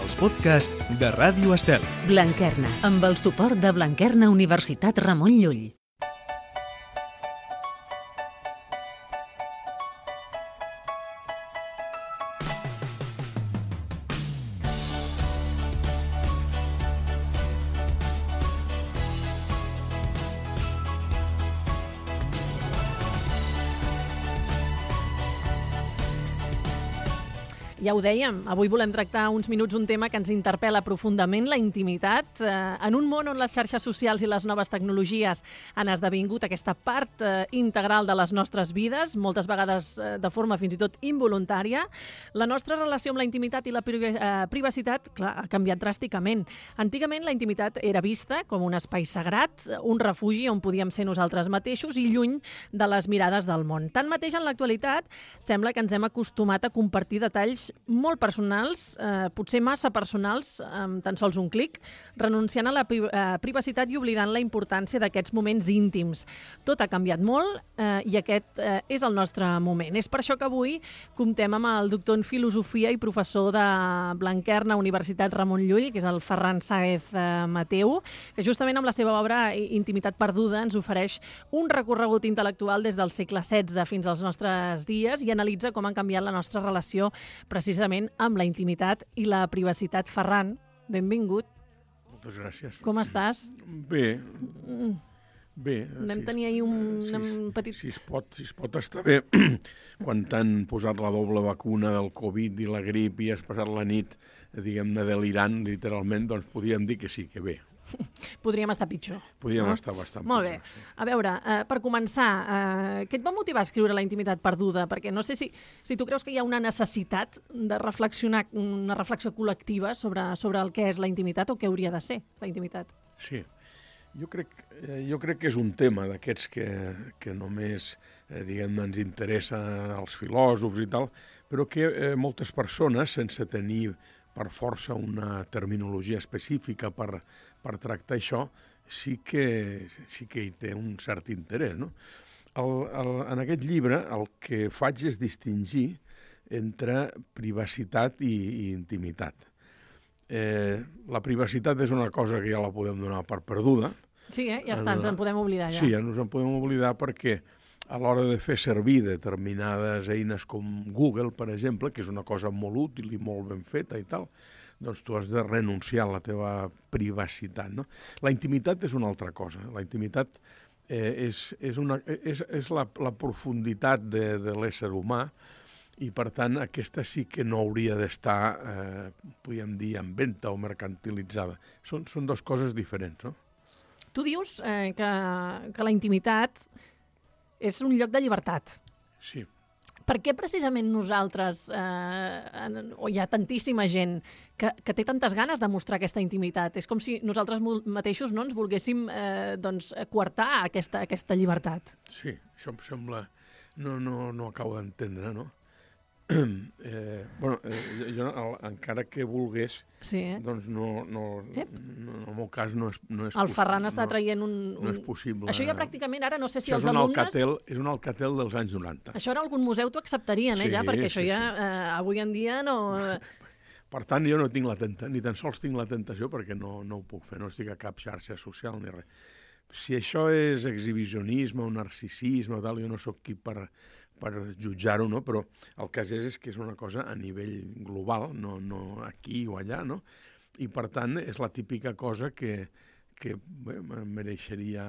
els podcasts de Ràdio Estel. Blanquerna, amb el suport de Blanquerna Universitat Ramon Llull. Ja ho dèiem, avui volem tractar uns minuts un tema que ens interpel·la profundament, la intimitat. En un món on les xarxes socials i les noves tecnologies han esdevingut aquesta part integral de les nostres vides, moltes vegades de forma fins i tot involuntària, la nostra relació amb la intimitat i la privacitat, clar, ha canviat dràsticament. Antigament la intimitat era vista com un espai sagrat, un refugi on podíem ser nosaltres mateixos i lluny de les mirades del món. Tanmateix, en l'actualitat, sembla que ens hem acostumat a compartir detalls molt personals, potser massa personals, amb tan sols un clic, renunciant a la privacitat i oblidant la importància d'aquests moments íntims. Tot ha canviat molt i aquest és el nostre moment. És per això que avui comptem amb el doctor en Filosofia i professor de Blanquerna, Universitat Ramon Llull, que és el Ferran Sáez Mateu, que justament amb la seva obra Intimitat perduda ens ofereix un recorregut intel·lectual des del segle XVI fins als nostres dies i analitza com han canviat la nostra relació precisament amb la intimitat i la privacitat. Ferran, benvingut. Moltes gràcies. Com estàs? Bé. Vam tenir ahir un petit... Si es pot estar bé, quan t'han posat la doble vacuna del Covid i la grip i has passat la nit, diguem-ne, delirant, literalment, doncs podríem dir que sí, que bé. Podríem estar pitjor. Podríem estar bastant Molt pitjor. bé. A veure, per començar, què et va motivar a escriure La intimitat perduda? Perquè no sé si tu creus que hi ha una necessitat de reflexionar, una reflexió col·lectiva sobre el que és la intimitat o què hauria de ser la intimitat. Sí. Jo crec que és un tema d'aquests que només diguem-ne ens interessa als filòsofs i tal, però que moltes persones, sense tenir per força una terminologia específica per tractar això, sí que hi té un cert interès, no? En aquest llibre el que faig és distingir entre privacitat i intimitat. La privacitat és una cosa que ja la podem donar per perduda. Sí, ja està, ens en podem oblidar ja. Sí, ens en podem oblidar perquè a l'hora de fer servir determinades eines com Google, per exemple, que és una cosa molt útil i molt ben feta i tal, doncs tu has de renunciar a la teva privacitat, no? La intimitat és una altra cosa. La intimitat és la profunditat de l'ésser humà i, per tant, aquesta sí que no hauria d'estar, podríem dir, en venda o mercantilitzada. Són dues coses diferents, no? Tu dius que la intimitat és un lloc de llibertat. Sí. Per què precisament nosaltres, o hi ha tantíssima gent que té tantes ganes de mostrar aquesta intimitat? És com si nosaltres mateixos no ens volguéssim coartar aquesta llibertat. Sí, això em sembla... No acabo d'entendre, no? Jo, encara que volgués, sí, doncs en el meu cas no és possible. El Ferran està traient un... No és possible. Això ja pràcticament ara, no sé si això els alumnes... És un Alcatel dels anys 90. Això en algun museu t'ho acceptarien, ja, perquè això ja avui en dia no... Per tant, jo no tinc ni tan sols tinc la tentació perquè no ho puc fer, no estic a cap xarxa social ni res. Si això és exhibicionisme o narcisisme o tal, jo no sóc qui per jutjar-ho, no? Però el cas és que és una cosa a nivell global, no aquí o allà, no? I, per tant, és la típica cosa que mereixeria...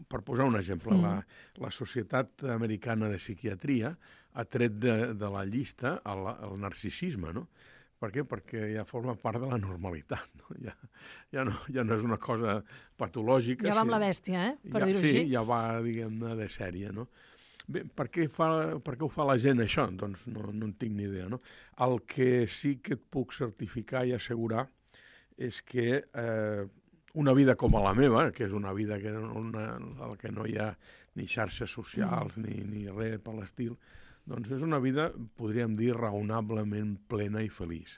Per posar un exemple, la Societat Americana de Psiquiatria ha tret de la llista el narcisisme, no? Per què? Perquè ja forma part de la normalitat, no? Ja no és una cosa patològica. Ja va amb la bèstia, per dir-ho així. Sí, ja va, diguem-ne, de sèrie, no? Bé, per què ho fa la gent, això? Doncs no en tinc ni idea, no? El que sí que et puc certificar i assegurar és que una vida com la meva, que és una vida en la que no hi ha ni xarxes socials ni res per l'estil, doncs és una vida, podríem dir, raonablement plena i feliç.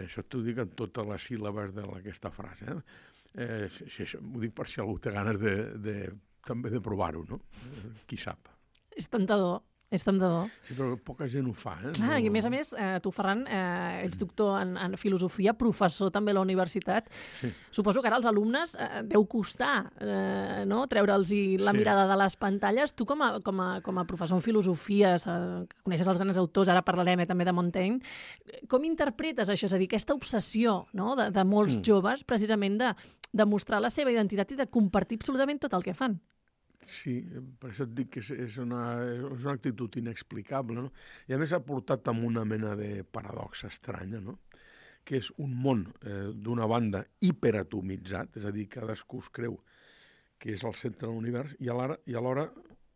Això t'ho dic en totes les síl·labes d'aquesta frase. Ho dic per si algú té ganes també de provar-ho, no? Qui sap. És tentador. És tant de bo. Sí, però poca gent ho fa. Clar, i a més, tu, Ferran, ets doctor en filosofia, professor també a la universitat. Sí. Suposo que ara als alumnes deu costar no? Treure'ls la mirada de les pantalles. Tu, com a professor en filosofia, que coneixes els grans autors, ara parlarem també de Montaigne, com interpretes això? És a dir, aquesta obsessió, no? de molts joves, precisament de mostrar la seva identitat i de compartir absolutament tot el que fan. Sí, per això et dic que és una actitud inexplicable, no? I a més ha portat amb una mena de paradoxa estranya, no? Que és un món, d'una banda, hiperatomitzat, és a dir, cadascú es creu que és el centre de l'univers, i alhora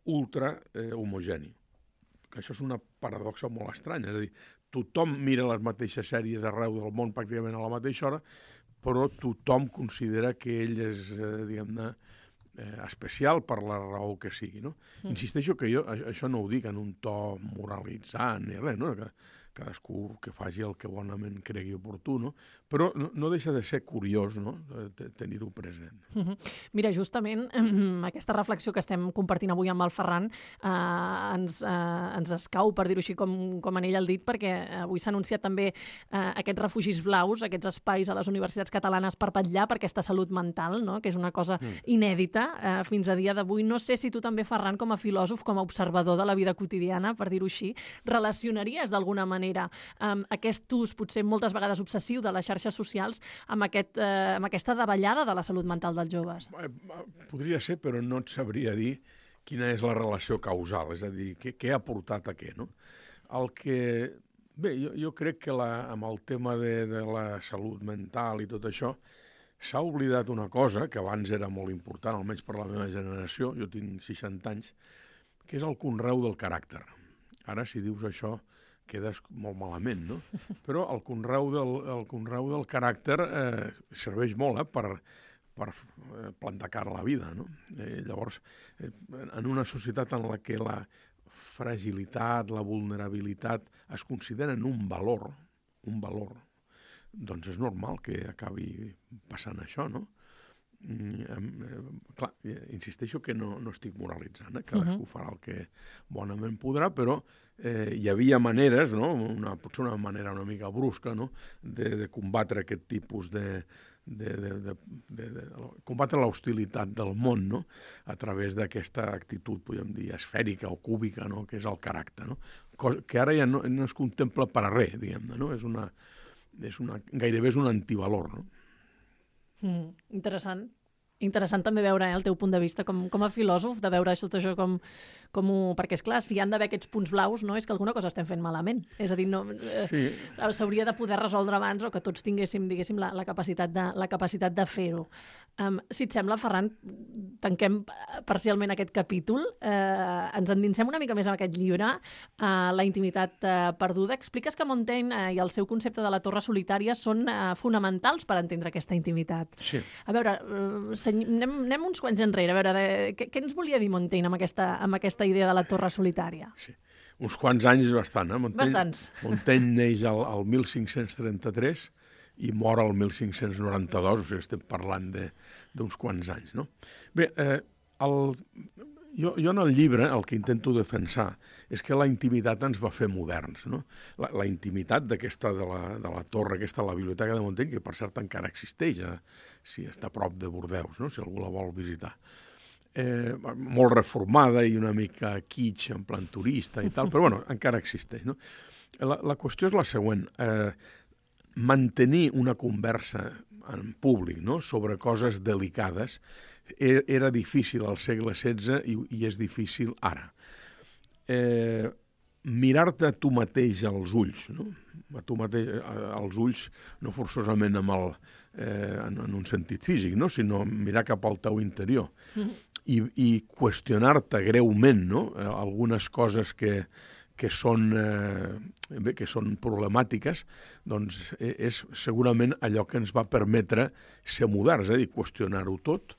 ultra homogeni. Que això és una paradoxa molt estranya, és a dir, tothom mira les mateixes sèries arreu del món pràcticament a la mateixa hora, però tothom considera que ell és, diguem-ne, especial per la raó que sigui, no? Insisteixo que jo això no ho dic en un to moralitzant ni res, no? Que cadascú que faci el que bonament cregui oportú, no? Però no deixa de ser curiós, no? Tenir-ho present. Mira, justament aquesta reflexió que estem compartint avui amb el Ferran ens escau, per dir-ho així, com en ell el dit, perquè avui s'ha anunciat també aquests refugis blaus, aquests espais a les universitats catalanes per vetllar per aquesta salut mental, no? Que és una cosa inèdita fins a dia d'avui. No sé si tu també, Ferran, com a filòsof, com a observador de la vida quotidiana, per dir-ho així, relacionaries d'alguna manera aquest ús, potser moltes vegades obsessiu, de les xarxes socials amb aquesta davallada de la salut mental dels joves? Podria ser, però no et sabria dir quina és la relació causal, és a dir, què ha portat a què, no? Bé, jo crec que amb el tema de la salut mental i tot això s'ha oblidat una cosa que abans era molt important, almenys per la meva generació, jo tinc 60 anys, que és el conreu del caràcter. Ara, si dius això, quedes molt malament, no? Però el conreu del caràcter serveix molt per plantar cara a la vida, no? Llavors, en una societat en la que la fragilitat, la vulnerabilitat es consideren un valor, doncs és normal que acabi passant això, no? Clar, insisteixo que no estic moralitzant, cadascú farà el que bonament podrà, però hi havia maneres, no? Potser una manera una mica brusca, no? De combatre aquest tipus de combatre l'hostilitat del món, no? A través d'aquesta actitud, podríem dir, esfèrica o cúbica, no? Que és el caràcter, no? Que ara ja no es contempla per a res, diguem-ne, no? Gairebé és un antivalor, no? Interessant. Interessant també veure el teu punt de vista com a filòsof, de veure tot això perquè, és clar, si hi han d'haver aquests punts blaus, no és que alguna cosa estem fent malament. És a dir, s'hauria de poder resoldre abans o que tots tinguéssim, diguéssim, la capacitat de fer-ho. Si et sembla, Ferran, tanquem parcialment aquest capítol, ens endinsem una mica més en aquest llibre, La intimitat perduda. Expliques que Montaigne i el seu concepte de la torre solitària són fonamentals per entendre aquesta intimitat. Sí. A veure, anem uns quants enrere, a veure, què ens volia dir Montaigne amb aquesta idea de la torre solitària? Sí. Uns quants anys bastant, Bastants. Montaigne neix al 1533 i mor al 1592, o sigui, estem parlant d'uns quants anys, no? Bé, jo en el llibre el que intento defensar és que la intimitat ens va fer moderns, no? La intimitat d'aquesta de la torre, aquesta, la biblioteca de Montaigne, que per cert encara existeix, si està a prop de Bordeus, no? Si algú la vol visitar. Molt reformada i una mica kitsch, en plan turista i tal, però bueno, encara existeix, no? La qüestió és la següent. Mantenir una conversa en públic, no? Sobre coses delicades era difícil al segle XVI i és difícil ara. Mirar-te a tu mateix als ulls, no? A tu mateix als ulls, no forçosament en un sentit físic, no? Sinó mirar cap al teu interior i qüestionar-te greument, no? Algunes coses que són problemàtiques, doncs és segurament allò que ens va permetre ser moderns, és a dir, qüestionar-ho tot,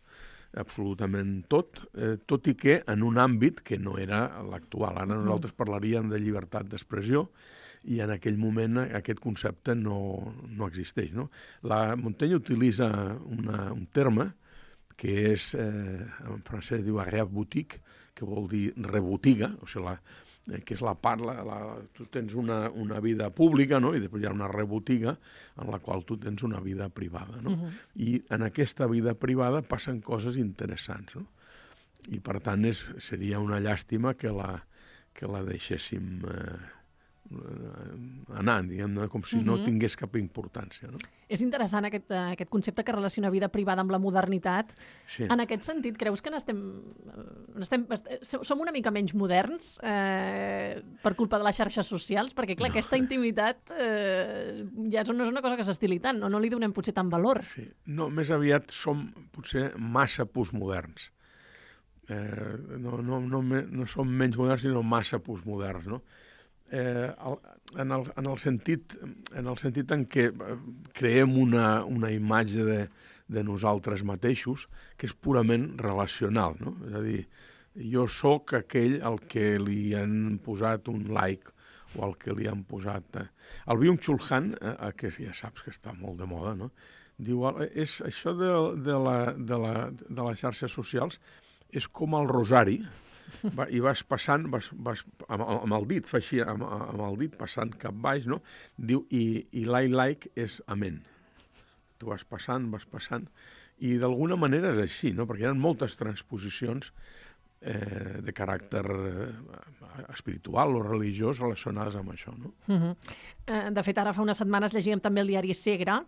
absolutament tot i que en un àmbit que no era l'actual. Ara nosaltres parlaríem de llibertat d'expressió i en aquell moment aquest concepte no existeix, no? Montaigne utilitza un terme que és, en francès diu arrière-boutique, que vol dir rebotiga, o sigui, que és la part, tu tens una vida pública, no? I després hi ha una rebotiga en la qual tu tens una vida privada, no? I en aquesta vida privada passen coses interessants, no? I per tant seria una llàstima que la deixéssim anar, diguem-ne, com si no tingués cap importància, no? És interessant aquest concepte que relaciona vida privada amb la modernitat. Sí. En aquest sentit, creus que som una mica menys moderns per culpa de les xarxes socials? Perquè, clar, aquesta intimitat ja no és una cosa que s'estili tant, no li donem potser tant valor. Sí. No, més aviat som potser massa postmoderns. No som menys moderns, sinó massa postmoderns, no? En el sentit en què creem una imatge de nosaltres mateixos que és purament relacional, no? És a dir, jo sóc aquell al que li han posat un like o al que li han posat... El Byung-Chul Han, que ja saps que està molt de moda, no? Diu, això de les xarxes socials és com el rosari, i vas passant, amb el dit, fa així, amb el dit passant cap baix, no? Diu, i like és amén. Tu vas passant, i d'alguna manera és així, no? Perquè hi ha moltes transposicions de caràcter espiritual o religiós relacionades amb això, no? De fet, ara fa unes setmanes llegíem també el diari Segre,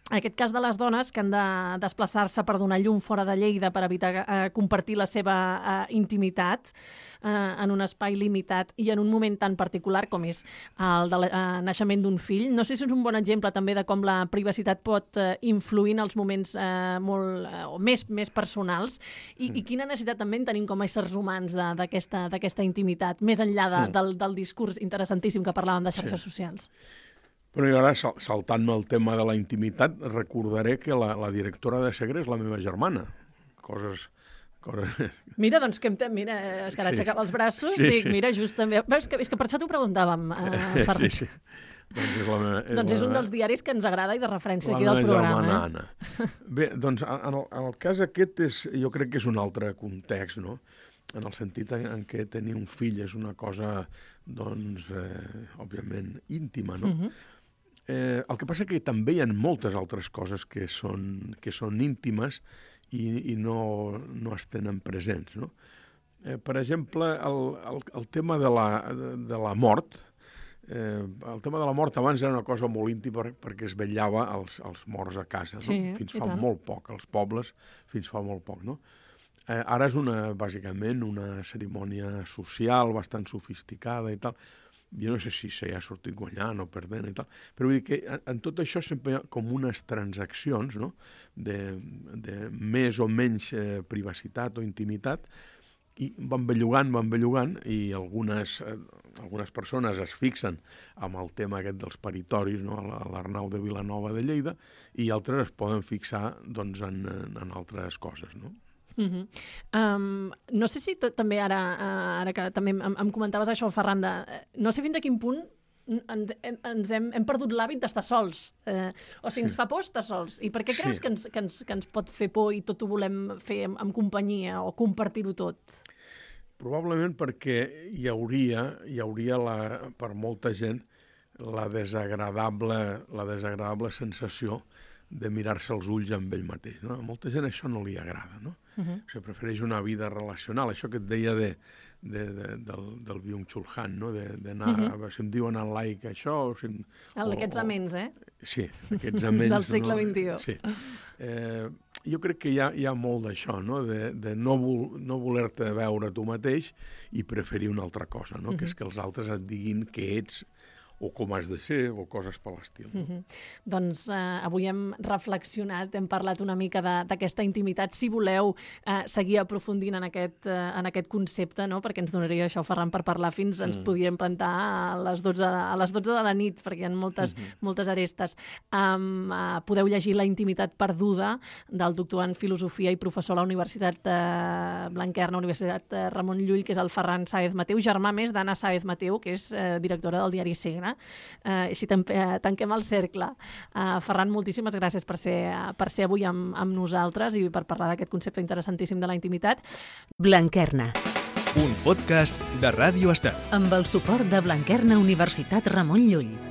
aquest cas de les dones que han de desplaçar-se per donar llum fora de Lleida per evitar compartir la seva intimitat en un espai limitat i en un moment tan particular com és el del naixement d'un fill. No sé si és un bon exemple també de com la privacitat pot influir en els moments més personals i quina necessitat també en tenim com a éssers humans d'aquesta intimitat, més enllà del discurs interessantíssim que parlàvem de xarxes socials. Però i ara, saltant-me el tema de la intimitat, recordaré que la directora de Segre és la meva germana. Coses... Mira, doncs, és que ara aixecava els braços, mira, just també... És que per això t'ho preguntàvem, Ferran. Sí. Doncs és un dels diaris que ens agrada i de referència aquí del programa. La meva germana Anna. Bé, doncs, en el cas aquest jo crec que és un altre context, no? En el sentit en què tenir un fill és una cosa, doncs, òbviament, íntima, no? El que passa que també hi ha moltes altres coses que són íntimes i no es tenen presents, no? Per exemple, el tema de la mort. El tema de la mort abans era una cosa molt íntima perquè es vetllava als morts a casa, no? Fins fa molt poc, als pobles, fins fa molt poc, no? Ara és bàsicament una cerimònia social bastant sofisticada i tal. Jo no sé si s'hi ha sortit guanyant o perdent i tal, però vull dir que en tot això sempre hi ha com unes transaccions, no? de més o menys privacitat o intimitat, i van bellugant, i algunes persones es fixen amb el tema aquest dels paritoris, no? A l'Arnau de Vilanova de Lleida, i altres es poden fixar doncs, en altres coses, no? No sé si també ara que també em comentaves això, Ferran, no sé fins a quin punt hem perdut l'hàbit d'estar sols, o si ens fa por estar sols, i per què creus que ens pot fer por i tot ho volem fer en companyia o compartir-ho tot? Probablement perquè hi hauria per molta gent la desagradable sensació de mirar-se els ulls amb ell mateix, no? A molta gent això no li agrada, no? O sigui, prefereix una vida relacional. Això que et deia del Byung-Chul Han, no? D'anar, si em diuen en like això... Aquests aments, Sí, aquests aments... Del segle XXI. Sí. Jo crec que hi ha molt d'això, no? De no voler-te veure tu mateix i preferir una altra cosa, no? Que és que els altres et diguin què ets o com has de ser, o coses per l'estil. Doncs avui hem reflexionat, hem parlat una mica d'aquesta intimitat. Si voleu seguir aprofundint en aquest concepte, no? Perquè ens donaria això, Ferran, per parlar fins, ens podríem plantar a les 12 de la nit, perquè hi ha moltes arestes. Podeu llegir La intimitat perduda, del doctor en filosofia i professor a la Universitat Blanquerna, Universitat Ramon Llull, que és el Ferran Sáez Mateu, germà més d'Anna Sáez Mateu, que és directora del diari Segre. Així tanquem el cercle. Ferran, moltíssimes gràcies per ser avui amb nosaltres i per parlar d'aquest concepte interessantíssim de la intimitat. Blanquerna, un podcast de Ràdio Estel. Amb el suport de Blanquerna Universitat Ramon Llull.